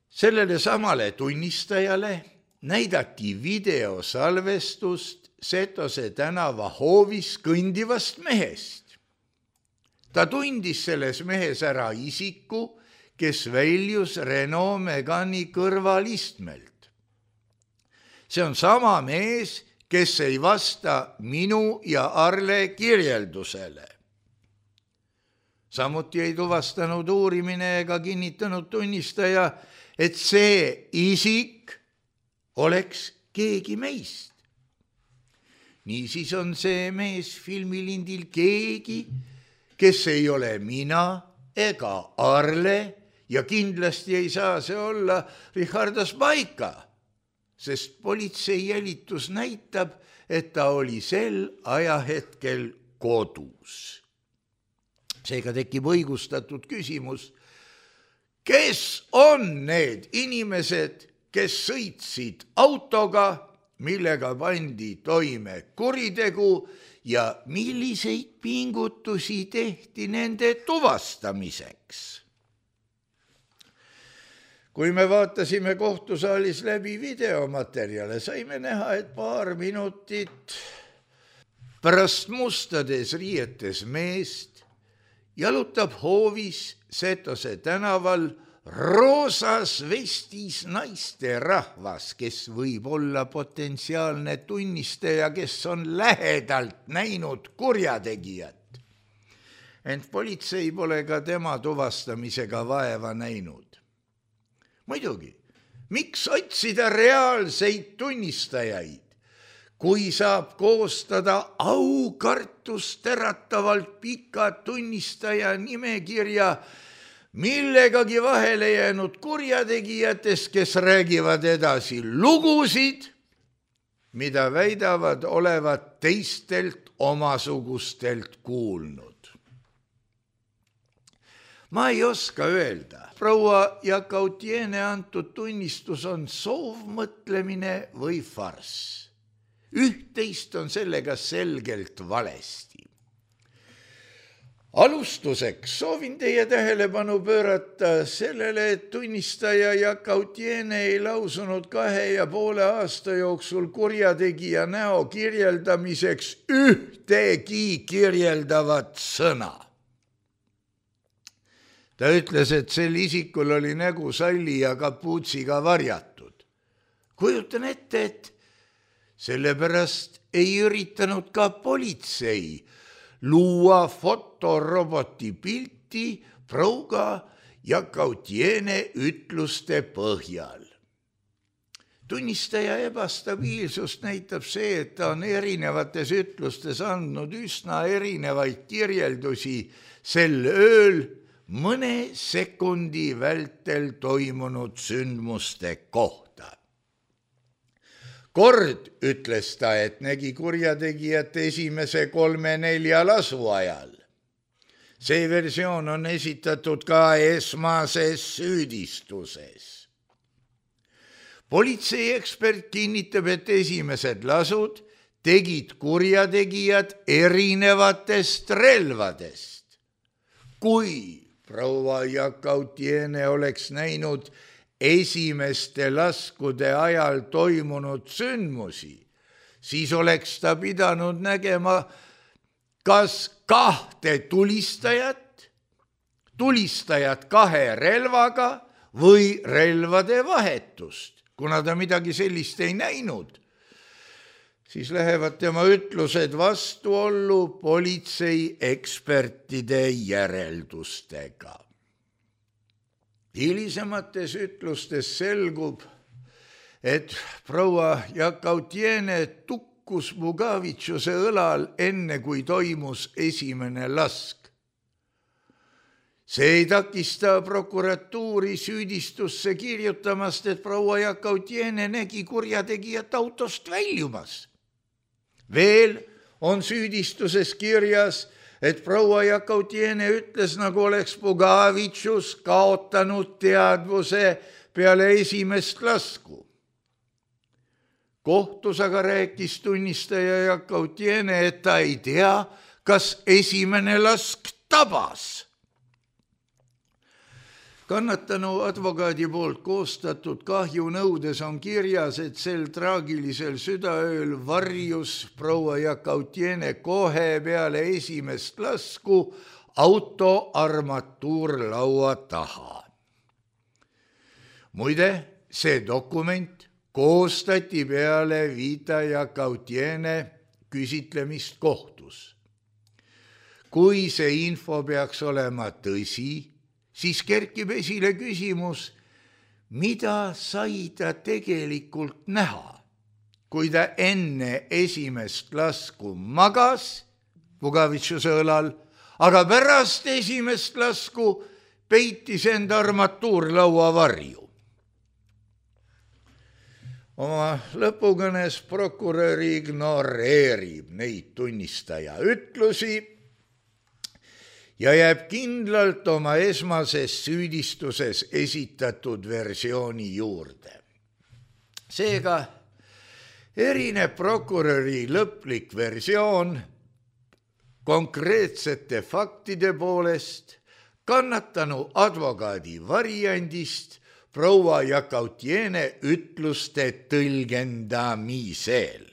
Sellele samale tunnistajale näidati videosalvestust Setose tänava hoovis kõndivast mehest. Ta tundis selles mehes ära isiku, kes väljus Renault Megani kõrvalistmelt. See on sama mees, kes ei vasta minu ja Arle kirjeldusele. Samuti ei tuvastanud uurimine ega kinnitanud tunnistaja, et see isik oleks keegi meist. Niisiis on see mees filmilindil keegi, kes ei ole mina ega Arle ja kindlasti ei saa see olla Richardas Baika, sest politsei jälitus näitab, et ta oli sel ajahetkel kodus. Seega tekib õigustatud küsimus, kes on need inimesed, kes sõitsid autoga, millega pandi toime kuritegu ja milliseid pingutusi tehti nende tuvastamiseks. Kui me vaatasime kohtusaalis läbi videomaterjale, saime näha, et paar minutit pärast mustades riietes meest jalutab hoovis Setose tänaval roosas vestis naiste rahvas, kes võib olla potentsiaalne tunnistaja, kes on lähedalt näinud kurjategijat. Ent politsei pole ka tema tuvastamisega vaeva näinud. Muidugi, miks otsida reaalseid tunnistajaid, kui saab koostada aukartust äratavalt pika tunnistaja nimekirja millegagi vahele jäänud kurjategijatest, kes räägivad edasi lugusid, mida väidavad olevat teistelt omasugustelt kuulnud. Ma ei oska öelda, proua Jakautiene antud tunnistus on soovmõtlemine või farss. Üht-teist on sellega selgelt valesti. Alustuseks soovin teie tähelepanu pöörata sellele, et tunnistaja Jakautiene ei lausunud kahe ja poole aasta jooksul kurjategija näo kirjeldamiseks ühtegi kirjeldavat sõna. Ta ütles, et sel isikul oli nägu salli ja kapuutsiga varjatud. Kujutan ette, et sellepärast ei üritanud ka politsei luua fotoroboti pilti prouga Jakautiene ütluste põhjal. Tunnistaja ebastabiilsust näitab see, et ta on erinevates ütlustes andnud üsna erinevaid kirjeldusi sel ööl mõne sekundi vältel toimunud sündmuste kohta. Kord ütles ta, et nägi kurjategijat esimese kolme-nelja lasu ajal. See versioon on esitatud ka esmases süüdistuses. Politseiekspert kinnitab, et esimesed lasud tegid kurjategijad erinevatest relvadest. Kui proua Jakautiene oleks näinud esimeste laskude ajal toimunud sündmusi, siis oleks ta pidanud nägema kas kahte tulistajat tulistajat kahe relvaga või relvade vahetust. Kuna ta midagi sellist ei näinud, siis lähevad tema ütlused vastuollu politsei ekspertide järeldustega. Hilisemates ütlustes selgub, et proua Jakautiene tukkus Bugavitšuse õlal enne, kui toimus esimene lask. See ei takista prokuratuuri süüdistusse kirjutamast, et proua Jakautiene nägi kurjategijat autost väljumas. Veel on süüdistuses kirjas, et proua Jakautiene ütles, nagu oleks Bugavitšus kaotanud teadvuse peale esimest lasku. Kohtus aga rääkis tunnistaja Jakautiene, et ta ei tea, kas esimene lask tabas. Kannatanu advokaadi poolt koostatud kahjunõudes on kirjas, et sel traagilisel südaööl varjus proua Jakautiene kohe peale esimest lasku auto armatuurlaua taha. Muide, see dokument koostati peale Vita Jakautiene küsitlemist kohtus. Kui see info peaks olema tõsi, siis kerkib esile küsimus, mida sai ta tegelikult näha, kui ta enne esimest lasku magas Bugavitšuse õlal, aga pärast esimest lasku peitis enda armatuurlaua varju. Oma lõpukõnes prokurör ignoreerib neid tunnistaja ütlusi ja jääb kindlalt oma esmases süüdistuses esitatud versiooni juurde. Seega erineb prokuröri lõplik versioon konkreetsete faktide poolest kannatanu advokaadi variandist proua Jakautiene ütluste tõlgendamisel.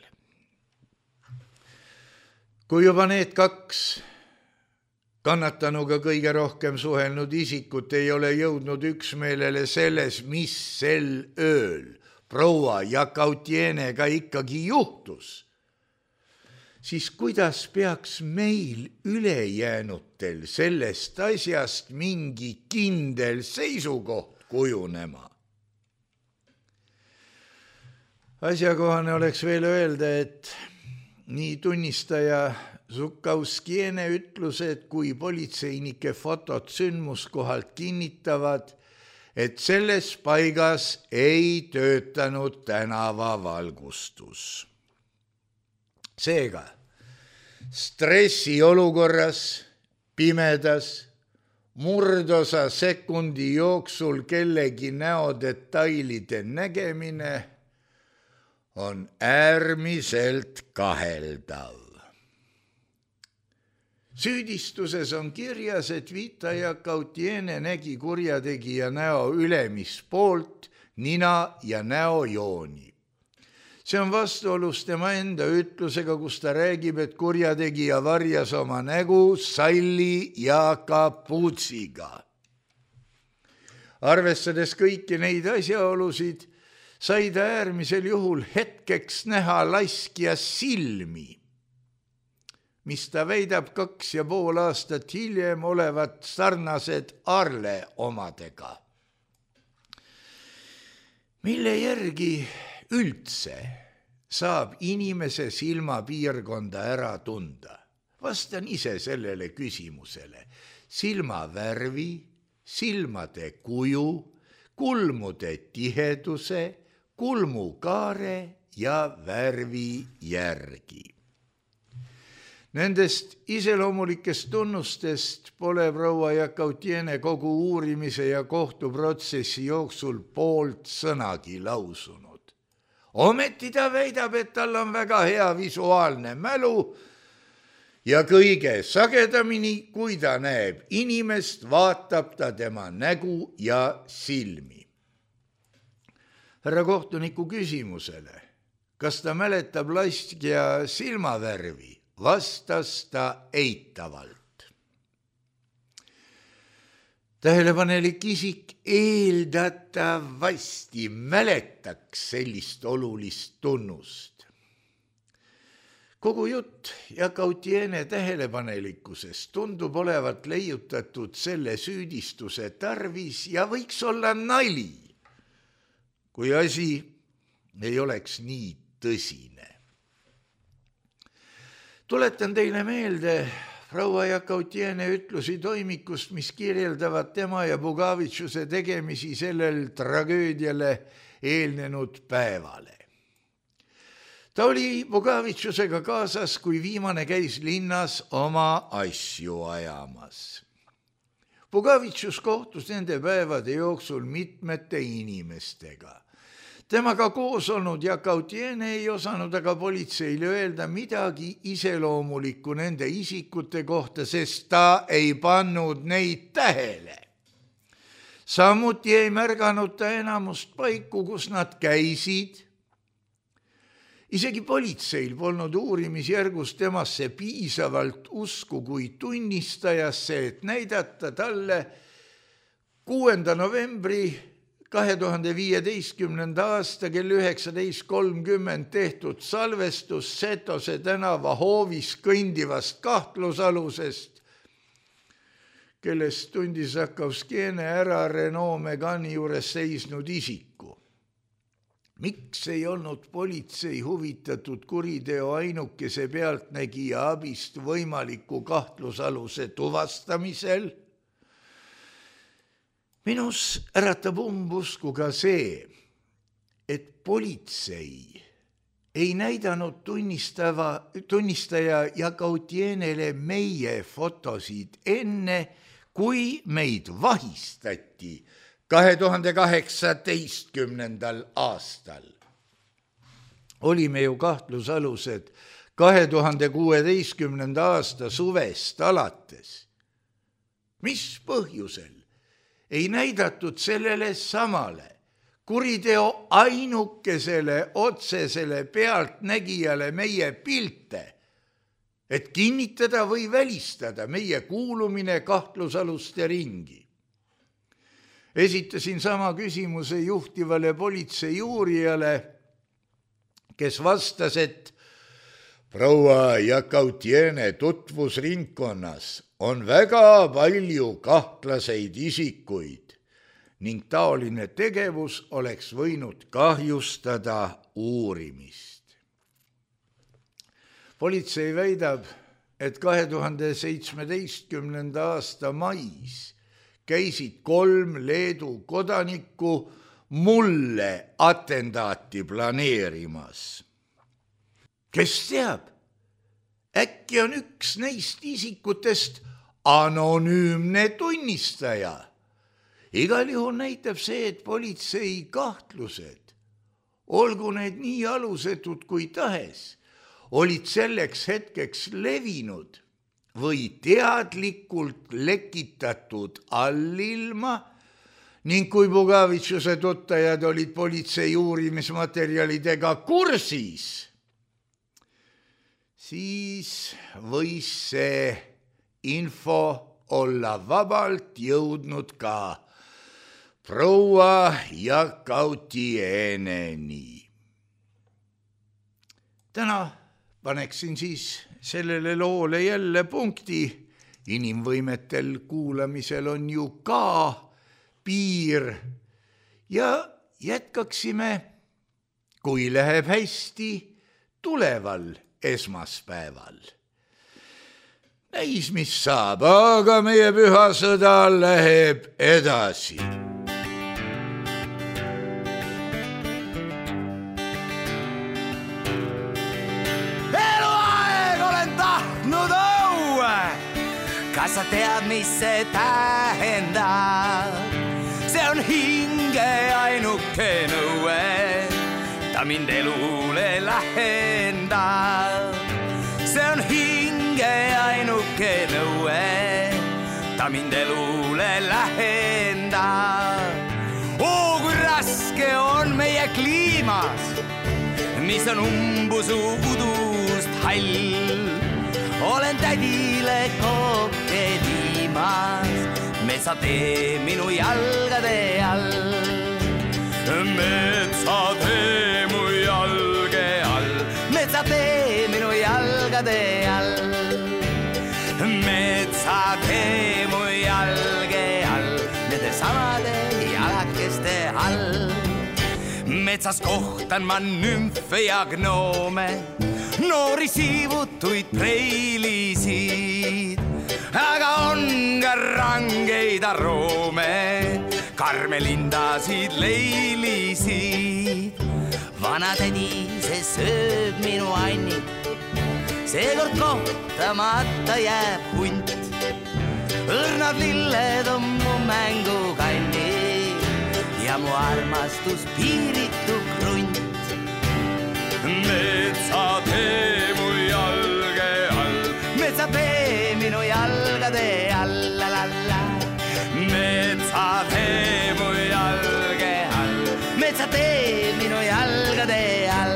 Kui juba need kaks kannatanuga kõige rohkem suhelnud isikut ei ole jõudnud üksmeelele selles, mis sel ööl proua Jakautienega ikkagi juhtus, siis kuidas peaks meil ülejäänutel sellest asjast mingi kindel seisukoht kujunema? Asjakohane oleks veel öelda, et nii tunnistaja Zukauskiene ütlused kui politseinike fotod sündmuskohalt kinnitavad, et selles paigas ei töötanud tänavavalgustus. Seega, stressiolukorras, pimedas, murdosa sekundi jooksul kellegi näodetailide nägemine on äärmiselt kaheldav. Süüdistuses on kirjas, et Vita Jakautiene nägi kurjategija näo ülemist poolt, nina ja näojooni. See on vastuolus tema enda ütlusega, kus ta räägib, et kurjategija varjas oma nägu salli ja kapuutsiga. Arvestades kõiki neid asjaolusid, sai ta äärmisel juhul hetkeks näha laskja silmi, mis ta väidab kaks ja pool aastat hiljem olevat sarnased Arle omadega. Mille järgi üldse saab inimese silmapiirkonda ära tunda? Vastan ise sellele küsimusele. Silmavärvi, silmade kuju, kulmude tiheduse, kulmukaare ja värvi järgi. Nendest iseloomulikest tunnustest pole proua Jakautiene kogu uurimise ja kohtuprotsessi jooksul poolt sõnagi lausunud. Ometi ta väidab, et tal on väga hea visuaalne mälu ja kõige sagedamini, kui ta näeb inimest, vaatab ta tema nägu ja silmi. Härra kohtuniku küsimusele, kas ta mäletab laskja silmavärvi, – vastas ta eitavalt. Tähelepanelik isik eeldatavasti mäletaks sellist olulist tunnust. Kogu jutt ja Gautiene tähelepanelikkusest tundub olevat leiutatud selle süüdistuse tarvis ja võiks olla nali, kui asi ei oleks nii tõsine. Tuletan teile meelde proua Gautiene ütlusi toimikust, mis kirjeldavad tema ja Bugavitšuse tegemisi sellel tragöödiale eelnenud päevale. Ta oli Bugavitšusega kaasas, kui viimane käis linnas oma asju ajamas. Bugavitšus kohtus nende päevade jooksul mitmete inimestega. Temaga koos olnud ja Gautiene ei osanud aga politseile öelda midagi iseloomulikku nende isikute kohta, sest ta ei pannud neid tähele. Samuti ei märganud ta enamust paiku, kus nad käisid. Isegi politseil polnud uurimisjärgus temasse piisavalt usku kui tunnistajasse, et näidata talle kuuenda novembri kahe tuhande viieteistkümnenda aasta kell üheksateist kolmkümmend tehtud salvestus Setose tänava hoovis kõndivast kahtlusalusest, kellest tundis Žakovskiene ära Renault Megani juures seisnud isiku. Miks ei olnud politsei huvitatud kuriteo ainukese pealtnägija abist võimaliku kahtlusaluse tuvastamisel? Minus äratab umbusku ka see, et politsei ei näidanud tunnistava, tunnistaja ja Gautienele meie fotosid enne, kui meid vahistati kahe tuhande kaheksateistkümnendal aastal. Olime ju kahtlusalused kahe tuhande kuueteistkümnenda aasta suvest alates. Mis põhjusel ei näidatud sellele samale kuriteo ainukesele otsesele pealtnägijale meie pilte, et kinnitada või välistada meie kuulumine kahtlusaluste ringi? Esitasin sama küsimuse juhtivale politsei uurijale, kes vastas, et proua Gautiene tutvusringkonnas on väga palju kahtlaseid isikuid ning taoline tegevus oleks võinud kahjustada uurimist. Politsei väidab, et kahe tuhande seitsmeteistkümnenda aasta mais käisid kolm Leedu kodanikku mulle atentaati planeerimas. Kes teab, äkki on üks neist isikutest anonüümne tunnistaja. Igal juhul näitab see, et politsei kahtlused, olgu need nii alusetud kui tahes, olid selleks hetkeks levinud või teadlikult lekitatud allilma ning kui Bugavitšuse tuttajad olid politsei uurimismaterjalidega kursis, siis võis see info olla vabalt jõudnud ka proua Gautieneni. Täna paneksin siis sellele loole jälle punkti. Inimvõimetel kuulamisel on ju ka piir ja jätkaksime, kui läheb hästi, tuleval esmaspäeval. Näis, mis saab, aga meie püha sõda läheb edasi. Eluaeg olen tahtnud õue, kas sa tead, mis see tähendab? See on hinge ainuke nõue, ta mind elule lähendab. See on hinge ainuke nõue, ta mind elule lähendab. Oo, kui raske on meie kliimas, mis on umbusu udust hall. Olen tädile kokke viimas, me metsatee minu jalgade all. Metsatee mu jalge all, metsatee minu jalgade all. Metsatee mu jalge all, nende samade jalakeste all. Metsas kohtan ma nümfe ja gnoome, noori siivutuid preilisid, aga on ka rangeid aroome, karmelindasid, leilisid. Vanatädi, see sööb minu anni, seekord kohtamata jääb hunt. Õrnad lilled on mu mängukanni ja mu armastus piiritu krunt. Metsatee mu jalge all, metsatee minu jalgade all, la la la. Metsatee mu jalge all, metsatee minu jalgade all.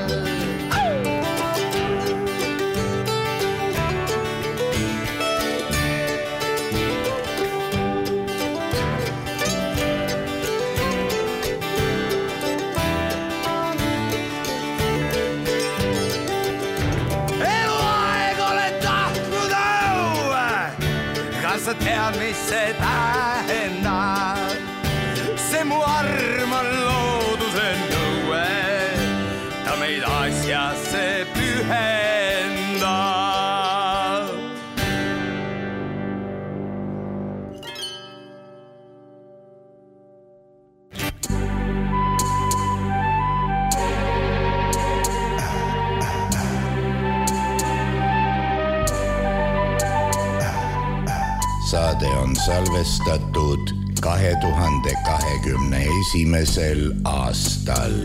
Sa tead, mis see tähendab, see mu arm on looduse nõue, ta meid asjasse pühendab. Saade on salvestatud kahe tuhande kahekümne esimesel aastal.